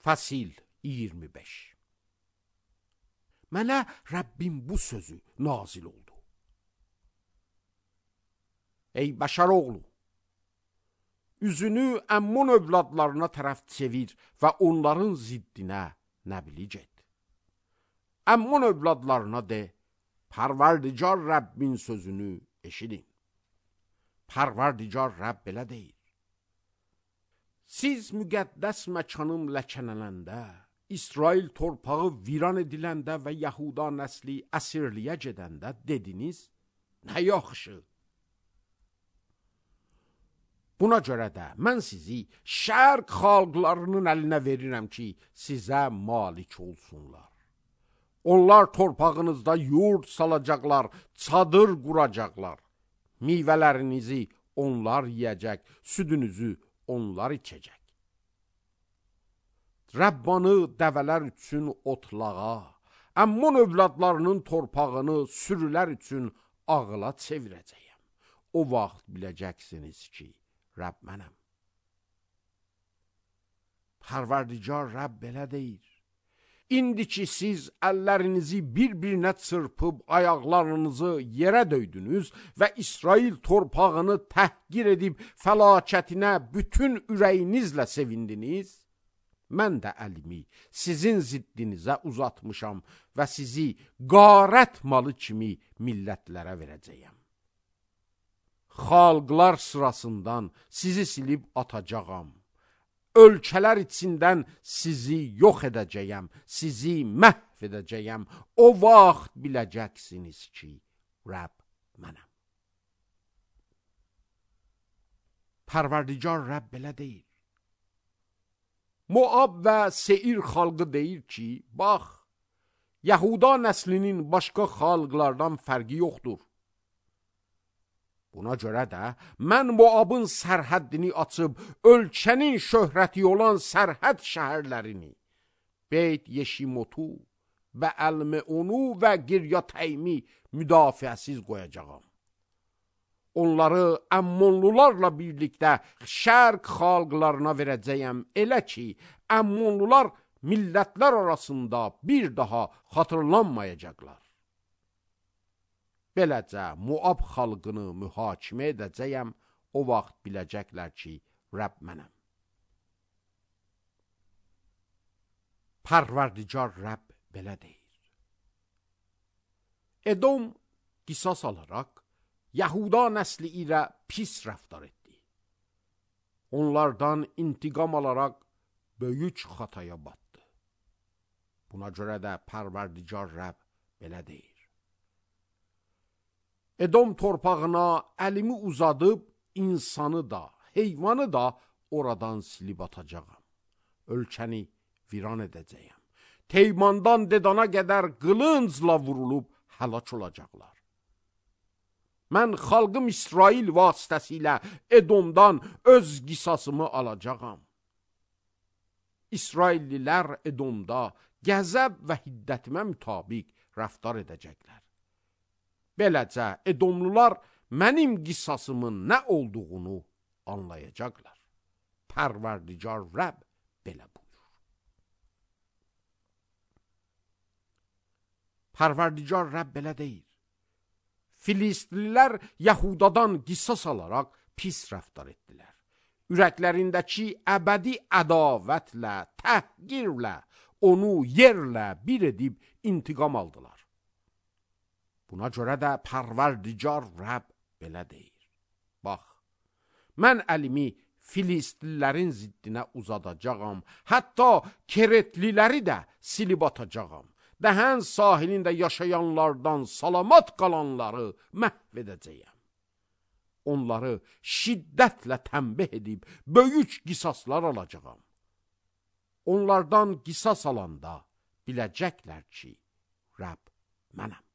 Fasil 25. Mənə Rəbbim bu sözü nazil oldu. Ey bəşər oğlu, üzünü Əmmun övladlarına tərəf çevir və onların ziddinə nəblic et. Əmmun övladlarına de, Pərverdigar Rəbbin sözünü eşidin. Pərverdigar Rəbb belə deyir. Siz müqəddəs məkanım ləkələnəndə, İsrail torpağı viran ediləndə və Yahuda nəsli əsirliyə gedəndə dediniz, nə yaxşı. Buna görə də mən sizi şərq xalqlarının əlinə verirəm ki, sizə malik olsunlar. Onlar torpağınızda yurt salacaqlar, çadır quracaqlar. Meyvələrinizi onlar yeyəcək, südünüzü onlar içəcək. Rəbbanı dəvələr üçün otlağa, Əmmun övladlarının torpağını sürülər üçün ağıla çevirəcəyəm. O vaxt biləcəksiniz ki, Rəbb mənəm. Pərverdigar Rəbb belə deyir. İndi ki siz əllərinizi bir-birinə çırpıb ayaqlarınızı yerə döydünüz və İsrail torpağını təhqir edib fəlakətinə bütün ürəyinizlə sevindiniz, mən də əlimi sizin ziddinizə uzatmışam və sizi qarət malı kimi millətlərə verəcəyəm. Xalqlar sırasından sizi silib atacağam. Ölkələr içindən sizi yox edəcəyəm, sizi məhv edəcəyəm. O vaxt biləcəksiniz ki, Rəbb mənəm. Pərverdigar Rəbb belə deyir. Moab və Seir xalqı deyir ki, bax, Yahuda nəslinin başqa xalqlardan fərqi yoxdur. Buna görə də mən Moabın sərhəddini açıb, ölkənin şöhrəti olan sərhəd şəhərlərini, Beyt Yeşimotu və Əlmeonu və Giryatəymi müdafiəsiz qoyacağam. Onları Əmmonlularla birlikdə şərq xalqlarına verəcəyəm, elə ki, Əmmonlular millətlər arasında bir daha xatırlanmayacaqlar. Beləcə Moab xalqını mühakimə edəcəyəm, o vaxt biləcəklər ki, Rəbb mənəm. Pərverdigar Rəbb belə deyir. Edom qisas alaraq, Yahuda nəsli ilə pis rəftar etdi. Onlardan intiqam alaraq böyük xataya batdı. Buna görə də Pərverdigar Rəbb belə deyir. Edom torpağına əlimi uzadıb, insanı da, heyvanı da oradan silib atacağam. Ölkəni viran edəcəyəm. Teymandan Dedana qədər qılıncla vurulub həlak olacaqlar. Mən xalqım İsrail vasitəsilə Edomdan öz qisasımı alacağam. İsraillilər Edomda qəzəb və hiddətimə mütabiq rəftar edəcəklər. Beləcə Edomlular mənim qisasımın nə olduğunu anlayacaqlar. Pərverdigar Rəbb belə buyur. Pərverdigar Rəbb belə deyir. Filistlilər Yahudadan qisas alaraq pis rəftar etdilər. Ürəklərindəki əbədi ədavətlə, təhqirlə, onu yerlə bir edib intiqam aldılar. Buna görə də Pərverdigar Rəbb belə deyir. Bax, mən əlimi Filistlilərin ziddinə uzadacağam, hətta Keretliləri də silib atacağam. Dəhən sahilində yaşayanlardan salamat qalanları məhv edəcəyəm. Onları şiddətlə tənbih edib, böyük qisaslar alacağam. Onlardan qisas alanda biləcəklər ki, Rəbb mənəm.